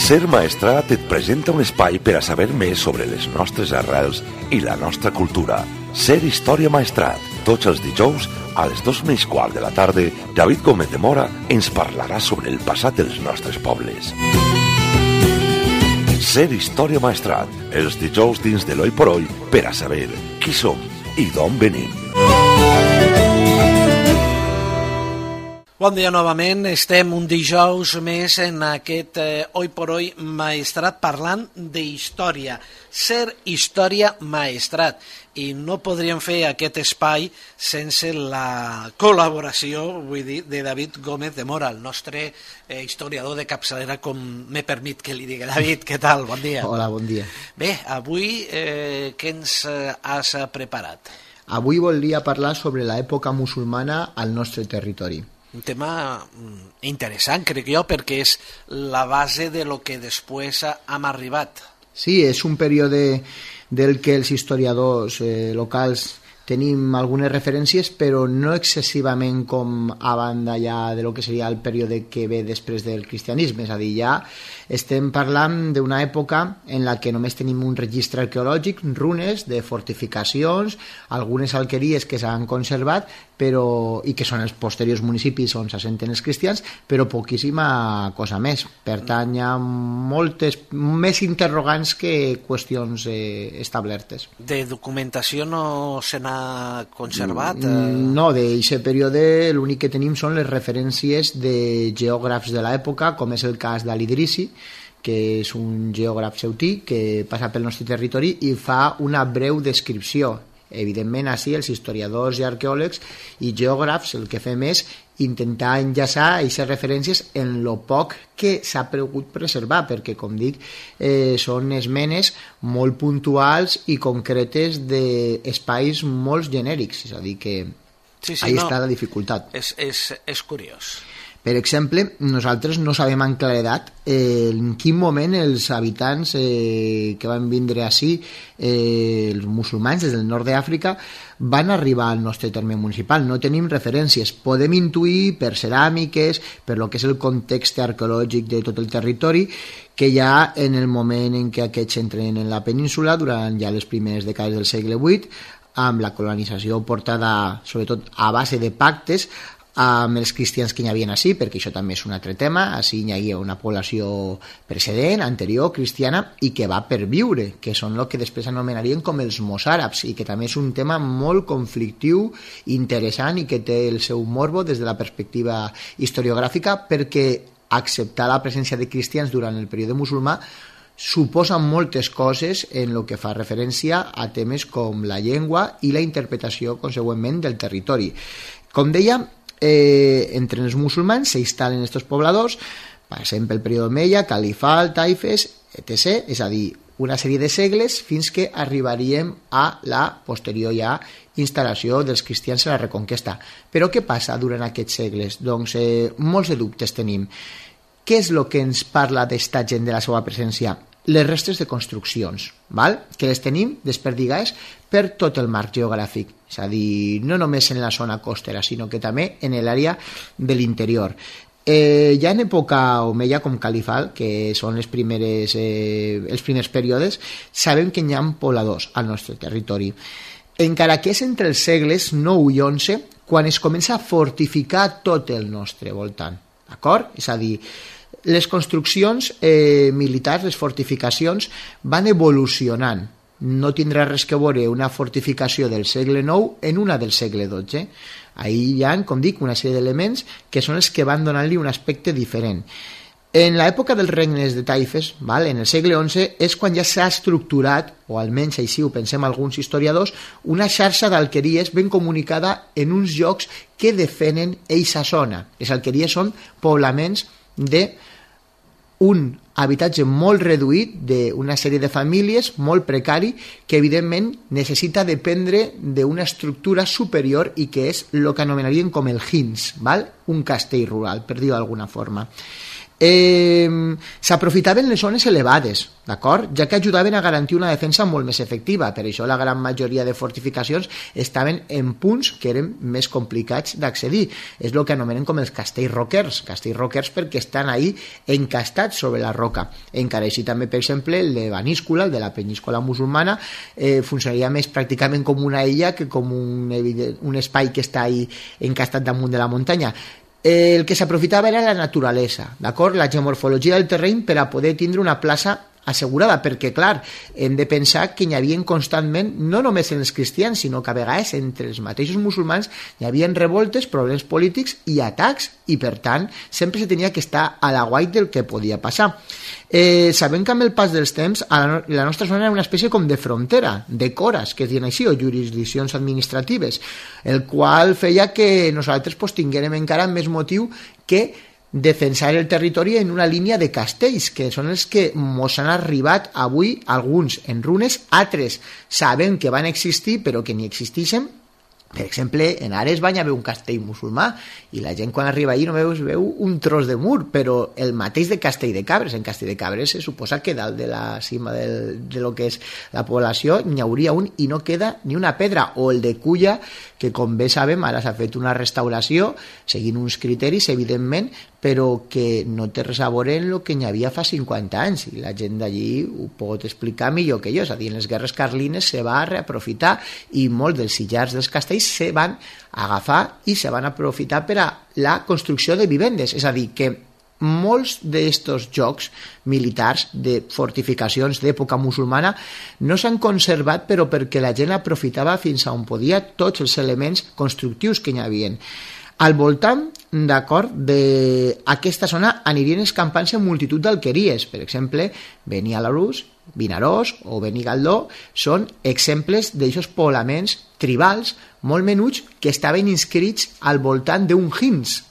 Ser Maestrat et presenta un espai per a saber més sobre les nostres arrels i la nostra cultura. Ser Història Maestrat. Tots els dijous, a les 2:15 de la tarda, David Gómez de Mora ens parlarà sobre el passat dels nostres pobles. Ser Història Maestrat. Els dijous dins de l'Oi por Oi per a saber qui som i d'on venim. Bon dia novament, estem un dijous més en aquest Oi por Oi Maestrat parlant d'història, ser Història Maestrat, i no podríem fer aquest espai sense la col·laboració, vull dir, de David Gómez de Mora, el nostre historiador de capçalera, com m'he permit que li digui. David, què tal? Bon dia. Hola, bon dia. Bé, avui què ens has preparat? Avui voldria parlar sobre l'època musulmana al nostre territori. Un tema interessant, crec jo, perquè és la base de lo que després hem arribat. Sí, és un període del que els historiadors locals tenim algunes referències, però no excessivament com a banda ja de lo que seria el període que ve després del cristianisme, és a dir, ja estem parlant d'una època en la que només tenim un registre arqueològic, runes de fortificacions, algunes alqueries que s'han conservat, però, i que són els posteriors municipis on s'assenten els cristians, però poquíssima cosa més. Per tant, hi ha moltes més interrogants que qüestions establertes. De documentació no se n'ha conservat? No, d'aquest període l'únic que tenim són les referències de geògrafs de l'època, com és el cas d'Al-Idrisi, que és un geògraf ceutí que passa pel nostre territori i fa una breu descripció. Evidentment, així els historiadors i arqueòlegs i geògrafs el que fem és intentar enllaçar aquestes referències en lo poc que s'ha pogut preservar, perquè, com dic, són esmenes molt puntuals i concretes d'espais molt genèrics, és a dir, que ahí està la dificultat. És curiós. Per exemple, nosaltres no sabem en claredat en quin moment els habitants que van vindre ací, els musulmans des del nord d'Àfrica, van arribar al nostre terme municipal. No tenim referències. Podem intuir per ceràmiques, per lo que és el context arqueològic de tot el territori, que ja en el moment en què aquests entren en la península, durant ja les primeres dècades del segle VIII, amb la colonització portada sobretot a base de pactes amb els cristians que hi havia així, perquè això també és un altre tema. Així hi havia una població precedent, anterior, cristiana, i que va perviure, que són el que després anomenarien com els mossàrabs, i que també és un tema molt conflictiu, interessant, i que té el seu morbo des de la perspectiva historiogràfica, perquè acceptar la presència de cristians durant el període musulmà suposa moltes coses en el que fa referència a temes com la llengua i la interpretació, consegüentment, del territori. Com deia, entre els musulmans s'instal·len aquests pobladors, passem pel període Omeia, Califat, Taifes, etc., és a dir, una sèrie de segles fins que arribaríem a la posterior ja instal·lació dels cristians a la Reconquesta. Però què passa durant aquests segles? Doncs molts de dubtes tenim. Què és el que ens parla d'esta gent de la seva presència? Les restes de construccions, val? Que les tenim desperdigades per tot el marc geogràfic, és a dir, no només en la zona costera, sinó que també en l'àrea de l'interior. Ja en època Omeia, com Califat, que són els primers períodes, sabem que hi ha pobladors al nostre territori. Encara que és entre els segles 9 i 11 quan es comença a fortificar tot el nostre voltant, d'acord? És a dir, les construccions militars, les fortificacions, van evolucionant. No tindrà res que veure una fortificació del segle IX en una del segle XII. Ahí hi ha, com dic, una sèrie d'elements que són els que van donant-li un aspecte diferent. En l'època dels regnes de Taifes, en el segle XI, és quan ja s'ha estructurat, o almenys així ho pensem alguns historiadors, una xarxa d'alqueries ben comunicada en uns llocs que defenen eixa zona. Les alqueries són poblaments d'un habitatge molt reduït, d'una sèrie de famílies molt precari, que evidentment necessita dependre d'una estructura superior i que és el que anomenarien com el hins, un castell rural, per dir-ho d'alguna forma. S'aprofitaven les zones elevades, d'acord? Ja que ajudaven a garantir una defensa molt més efectiva. Per això la gran majoria de fortificacions estaven en punts que eren més complicats d'accedir. És el que anomenen com els castells roquers perquè estan ahí encastats sobre la roca. Encara així també, per exemple, el de Baníscola, el de la penínscola musulmana, funcionaria més pràcticament com una illa que com un espai que està ahí encastat damunt de la muntanya. El que s'aprofitava era la naturalesa, d'acord? La geomorfologia del terreny per a poder tindre una plaça assegurada, perquè, clar, hem de pensar que hi havia constantment, no només en els cristians, sinó que a vegades entre els mateixos musulmans hi havia revoltes, problemes polítics i atacs, i per tant sempre se tenia que estar a l'aguait del que podia passar. Sabem que amb el pas dels temps la nostra zona era una espècie com de frontera, de coras, que es diuen així, o jurisdiccions administratives, el qual feia que nosaltres tinguérem encara més motiu que defensar el territori en una línia de castells, que són els que mos han arribat avui, alguns en runes, altres sabem que van existir però que ni existeixen. Per exemple, en Ares va haver un castell musulmà i la gent quan arriba allí només veu un tros de mur, però el mateix de Castell de Cabres. En Castell de Cabres se suposa que dalt de la cima de lo que és la població n'hi hauria un i no queda ni una pedra. O el de Culla, que com bé sabem ara s'ha fet una restauració seguint uns criteris, evidentment, però que no té res a veure en el que n'hi havia fa 50 anys, i la gent d'allí ho pot explicar millor que jo. És a dir, en les guerres carlines se va reaprofitar i molts dels sillars dels castells se van agafar i se van aprofitar per a la construcció de vivendes. És a dir, que molts d'estos jocs militars de fortificacions d'època musulmana no s'han conservat, però perquè la gent aprofitava fins a on podia tots els elements constructius que hi havia. Al voltant, d'acord, d'aquesta zona anirien escampant-se multitud d'alqueries. Per exemple, Benialarús, Vinaròs o Benigaldó són exemples d'aixos poblaments tribals molt menuts que estaven inscrits al voltant d'un hins,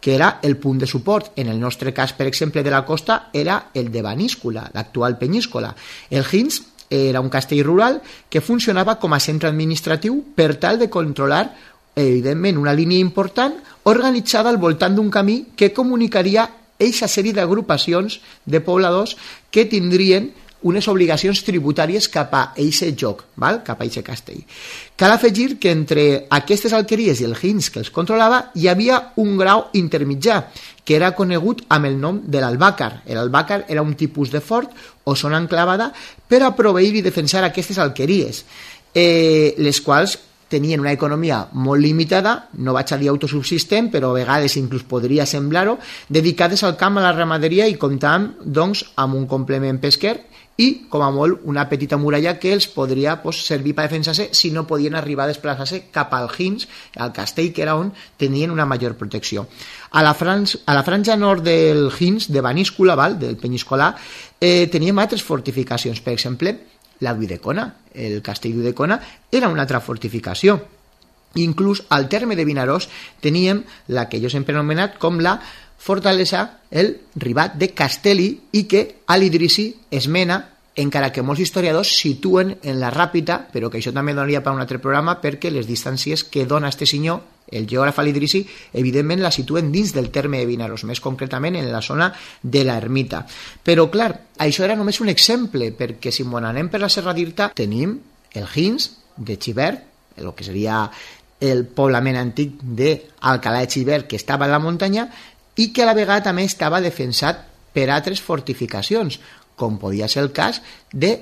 que era el punt de suport. En el nostre cas, per exemple, de la costa, era el de Baníscola, l'actual Penyíscola. El hins era un castell rural que funcionava com a centre administratiu per tal de controlar, evidentment, una línia important organitzada al voltant d'un camí que comunicaria eixa sèrie d'agrupacions de pobladors que tindrien unes obligacions tributàries cap a eixe joc, val? Cap a eixe castell. Cal afegir que entre aquestes alqueries i el hins que els controlava hi havia un grau intermitjà, que era conegut amb el nom de l'albàcar. L'albàcar era un tipus de fort o zona enclavada per a proveir i defensar aquestes alqueries, les quals tenien una economia molt limitada, no vaig a dir autosubsistent, però a vegades inclús podria semblar-ho, dedicades al camp, a la ramaderia i comptant, doncs, amb un complement pesquer i, com a molt, una petita muralla que els podria servir per defensar-se si no podien arribar a desplaçar-se cap al hins, al castell, que era on tenien una major protecció. A la franja nord del hins, de Baníscola, del Penyíscola, teníem altres fortificacions. Per exemple, la d'Ulldecona, el castell d'Ulldecona, era una altra fortificació. Inclús al terme de Vinaròs teníem la que jo sempre he anomenat com la fortalesa, el ribat de Castelli, i que a l'Idrissi es mena, encara que molts historiadors situen en la Ràpita, però que això també donaria per un altre programa, perquè les distàncies que dona este senyor, el geògraf al·Idrissi, evidentment la situen dins del terme de Vinaròs, més concretament en la zona de l'ermita. Però clar, això era només un exemple, perquè si m'ho anem per la Serra d'Irta tenim el hins de Xivert, el que seria el poblament antic d'Alcalà de Xivert, que estava a la muntanya i que a la vegada també estava defensat per altres fortificacions, com podia ser el cas de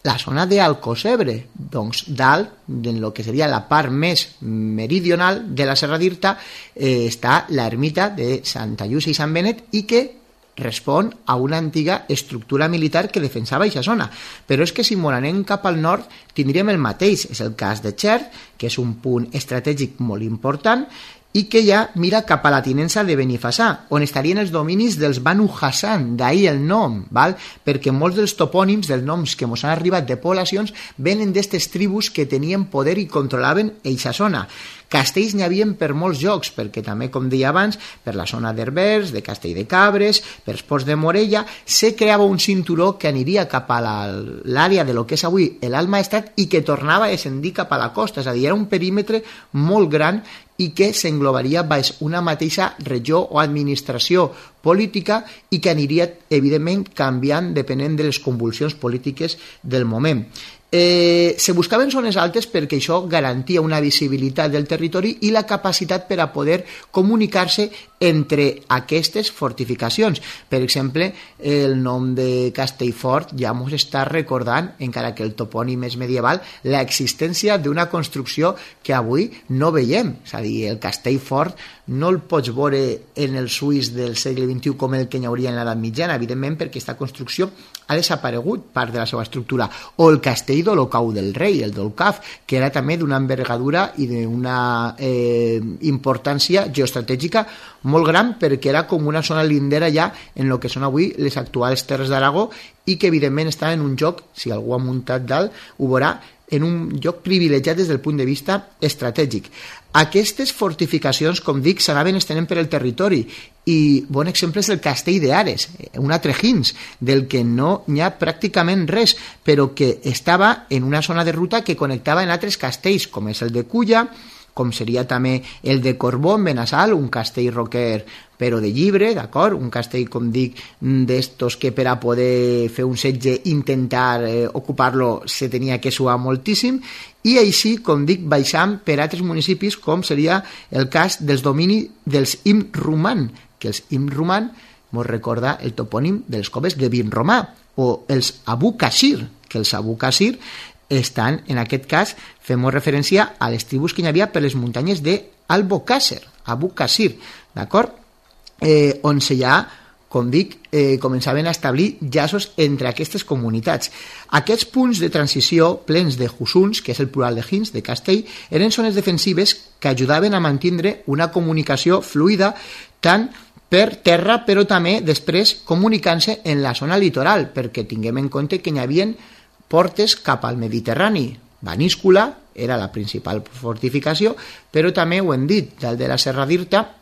la zona d'Alcocebre, doncs dalt, en el que seria la part més meridional de la Serra d'Irta, està l'ermita de Santa Llúcia i Sant Benet, i que respon a una antiga estructura militar que defensava aquesta zona. Però és que si anem cap al nord tindríem el mateix. És el cas de Xert, que és un punt estratègic molt important i que ja mira cap a la tinença de Benifassà, on estarien els dominis dels Banu Hassan, d'ahir el nom, val? Perquè molts dels topònims, dels noms que ens han arribat de poblacions, venen d'aquestes tribus que tenien poder i controlaven eixa zona. Castells n'hi havia per molts jocs, perquè també, com deia abans, per la zona d'Herbers, de Castell de Cabres, per els ports de Morella, se creava un cinturó que aniria cap a l'àrea de lo que és avui l'Alt Maestrat i que tornava a descendir cap a la costa. És a dir, era un perímetre molt gran i que s'englobaria baix una mateixa regió o administració política i que aniria, evidentment, canviant depenent de les convulsions polítiques del moment. Se buscaven zones altes perquè això garantia una visibilitat del territori i la capacitat per a poder comunicar-se entre aquestes fortificacions. Per exemple, el nom de Castellfort ja ens està recordant, encara que el topònim és medieval, l'existència d'una construcció que avui no veiem. És a dir, el Castellfort no el pots veure en el Suís del segle XXI com el que hi hauria en l'edat mitjana, evidentment, perquè aquesta construcció ha desaparegut part de la seva estructura. O el castell d'Olocau del Rei, el d'Olcaf, que era també d'una envergadura i d'una importància geoestratègica molt gran, perquè era com una zona lindera ja en el que són avui les actuals Terres d'Aragó i que evidentment està en un lloc, si algú ha muntat dalt ho veurà, en un lloc privilegiat des del punt de vista estratègic. Aquestes fortificacions, com dic, s'anaven estenent per el territori i bon exemple és el castell d'Ares, un altre Hins, del que no n'hi ha pràcticament res, però que estava en una zona de ruta que connectava en altres castells, com és el de Culla, com seria també el de Corbó en Benassal, un castell roquer però de llibre, d'acord? Un castell, com dic, d'estos que per a poder fer un setge, intentar ocupar-lo, se tenia que suar moltíssim, i així, com dic, baixant per altres municipis, com seria el cas dels dominis dels Imruman, que els Imruman ens recorda el topònim de les coves de Vinromà, o els Abu Qasir, que els Abu Qasir estan, en aquest cas, fem referència a les tribus que hi havia per les muntanyes d'Albocàsser, Abu Qasir, d'acord? On ja, com dic, començaven a establir llaços entre aquestes comunitats. Aquests punts de transició plens de husuns, que és el plural de Hins, de castell, eren zones defensives que ajudaven a mantenir una comunicació fluida tant per terra, però també després comunicant-se en la zona litoral, perquè tinguem en compte que hi havia portes cap al Mediterrani. Baníscula era la principal fortificació, però també ho hem dit, dalt de la Serra d'Irta,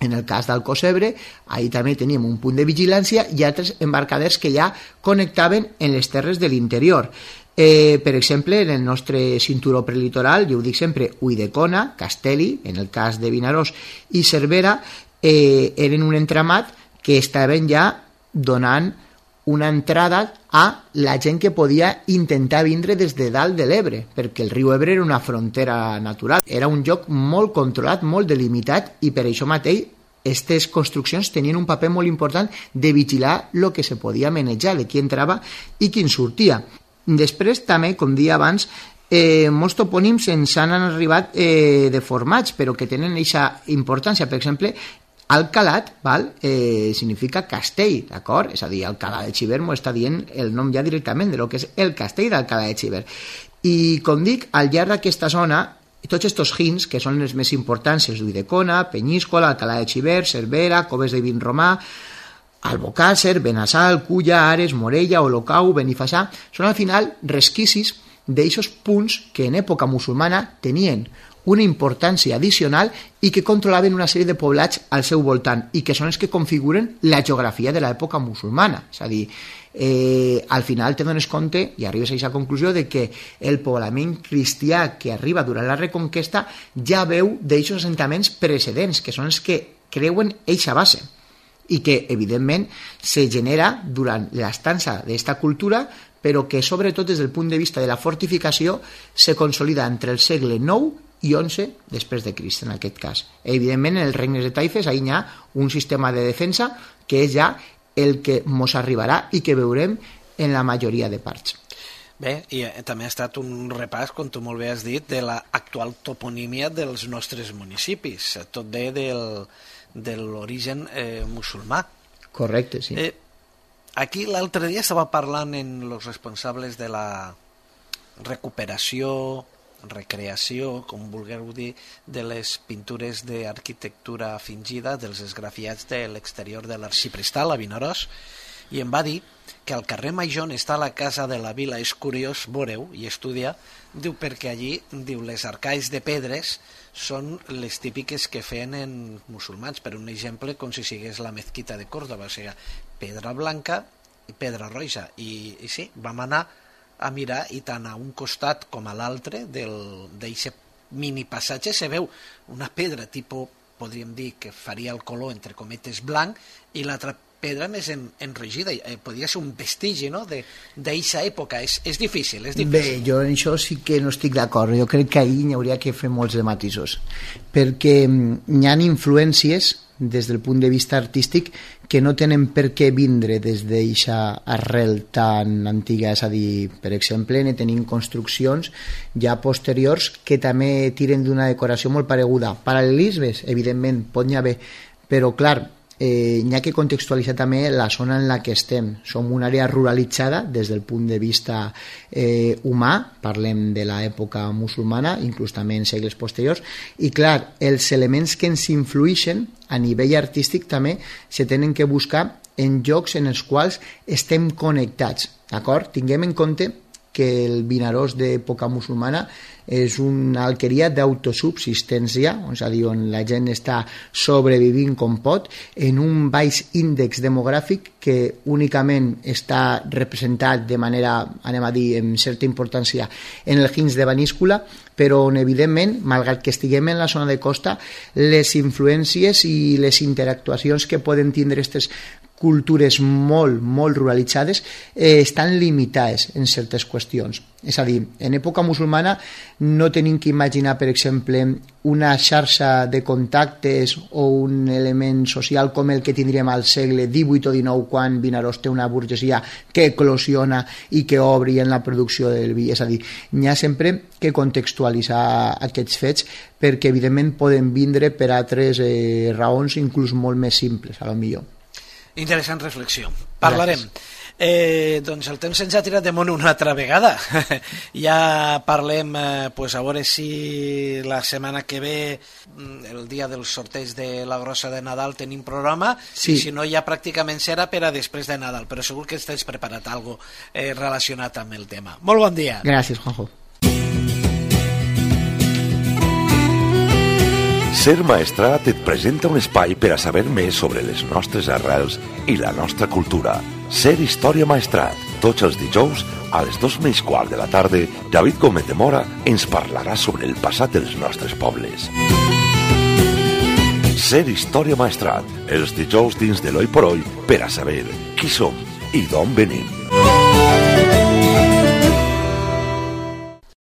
en el cas d'Alcocebre, ahir també teníem un punt de vigilància i altres embarcaders que ja connectaven en les terres de l'interior. Per exemple, en el nostre cinturó prelitoral, jo ho dic sempre, Ulldecona, Castelli, en el cas de Vinaròs, i Cervera, eren un entramat que estaven ja donant una entrada a la gent que podia intentar vindre des de dalt de l'Ebre, perquè el riu Ebre era una frontera natural. Era un lloc molt controlat, molt delimitat, i per això mateix aquestes construccions tenien un paper molt important de vigilar el que se podia manejar, de qui entrava i qui en sortia. Després també, com dia abans, molts topònims ens han arribat deformats, però que tenen aquesta importància. Per exemple, Alcalat, significa castell, d'acord? És a dir, Alcalá de Xivert m'ho està dient el nom ja directament de lo que és el castell d'Alcalá de Xivert. I, com dic, al llarg d'aquesta zona, tots aquests Hins, que són els més importants, els d'Ulldecona, Penyíscola, Alcalá de Xivert, Cervera, Coves de Vinromà, Albocàsser, Benassal, Culla, Ares, Morella, Olocau, Benifassà, són al final resquicis d'aquests punts que en època musulmana tenien una importància addicional i que controlaven una sèrie de poblats al seu voltant i que són els que configuren la geografia de l'època musulmana. És a dir, al final te dones compte i arribes a aquesta conclusió de que el poblament cristià que arriba durant la Reconquesta ja veu d'aquests assentaments precedents, que són els que creuen eixa base i que, evidentment, se genera durant l'estança d'aquesta cultura, però que, sobretot, des del punt de vista de la fortificació, se consolida entre el segle IX i 11 després de Crist, en aquest cas. Evidentment, en els regnes de taifes hi ha un sistema de defensa que és ja el que ens arribarà i que veurem en la majoria de parts. Bé, i també ha estat un repàs, com tu molt bé has dit, de l'actual toponímia dels nostres municipis, tot bé de l'origen musulmà. Correcte, sí. Aquí l'altre dia estava parlant amb els responsables de la recuperació, recreació, com vulgueu dir, de les pintures d'arquitectura fingida, dels esgrafiats de l'exterior de l'Arxiprestal a Vinaròs, i em va dir que al carrer Major on està la casa de la vila, és curiós, veureu i estudiar, diu perquè allí, diu, les arcais de pedres són les típiques que feien en musulmans, per un exemple com si sigués la mezquita de Córdoba, o sigui, pedra blanca i pedra roja, i sí, vam anar a mirar i tant a un costat com a l'altre d'aquest mini passatge se veu una pedra tipus, podríem dir que faria el color entre cometes blanc, i l'altra pedra més enrogida. Podria ser un vestigi, no?, d'aquesta època. És difícil, és difícil. Bé, jo en això sí que no estic d'acord. Jo crec que ahir n'hi hauria que fer molts de matisos, perquè hi ha influències des del punt de vista artístic que no tenen per què vindre des d'aquesta arrel tan antiga. És a dir, per exemple, ne tenim construccions ja posteriors que també tiren d'una decoració molt pareguda. Paral·lelismes, evidentment, pot n'hi haver, però clar, n'hi ha que contextualitzar també la zona en la que estem. Som una àrea ruralitzada des del punt de vista humà, parlem de l'època musulmana, inclús també en segles posteriors, i clar, els elements que ens influïxen a nivell artístic també se tenen que buscar en llocs en els quals estem connectats, d'acord? Tinguem en compte que el Vinaròs d'època musulmana és una alqueria d'autosubsistència, és a dir, on la gent està sobrevivint com pot, en un baix índex demogràfic que únicament està representat de manera, anem a dir, amb certa importància en el Hins de Beníscola, però on, evidentment, malgrat que estiguem en la zona de costa, les influències i les interactuacions que poden tindre aquestes cultures molt, molt ruralitzades estan limitades en certes qüestions. És a dir, en època musulmana no tenim que imaginar, per exemple, una xarxa de contactes o un element social com el que tindríem al segle XVIII o XIX, quan Vinaròs té una burgesia que eclosiona i que obri en la producció del vi. És a dir, n'hi ha sempre que contextualitzar aquests fets perquè, evidentment, poden vindre per altres raons inclús molt més simples, a lo millor. Interessant reflexió. Parlarem. Doncs el temps ens ha tirat de món una altra vegada. Ja parlem, pues a veure si la setmana que ve, el dia del sorteig de la grossa de Nadal, tenim programa, sí. I si no ja pràcticament serà per a després de Nadal, però segur que estàs preparat algo relacionat amb el tema. Molt bon dia. Gràcies, Juanjo. Ser Maestrat et presenta un espai per a saber més sobre les nostres arrels i la nostra cultura. Ser Història Maestrat. Tots els dijous, a les 2:15 de la tarda, David Gómez de Mora ens parlarà sobre el passat dels nostres pobles. Ser Història Maestrat. Els dijous dins de l'Hoy por Hoy per a saber qui som i d'on venim.